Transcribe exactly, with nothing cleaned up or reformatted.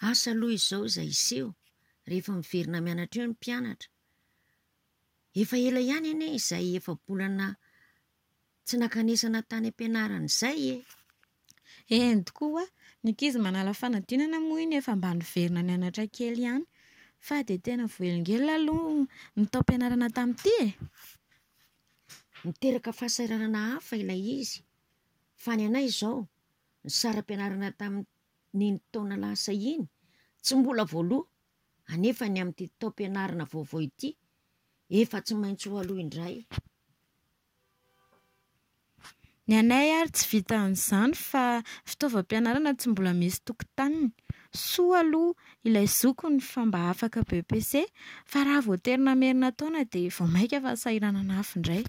Asa aloha izao izay hiseho rehefa miverina mianatra eo ny mpianatra. Efa ela ihany anie izay efa-bolana tsy nankanesana tany am-pianarana izay e! Eny tokoa hoa, ny ankizy manala fanadinana moa iny efa mba niverina nianatra kely ihany. Fa dia tena voahelingelina aloha ny taom-pianarana tamin'ity e! Miteraka fahasahiranana hafa ilay izy. Fa ny anay izao, ny saram-pianarana tamin'iny taona lasa iny tsy mbola voaloa, anefa ny amin'ity taom-pianarana vaovao ity efa tsy maintsy ho aloa indray. Ny anay ary tsy vitan'izany fa fitaovam-pianarana tsy mbola misy tokotaniny. Soa aloha ilay zokiny fa mba afaka BEPC fa raha voatery namerina taona dia vao mainka fahasahiranana hafa indray.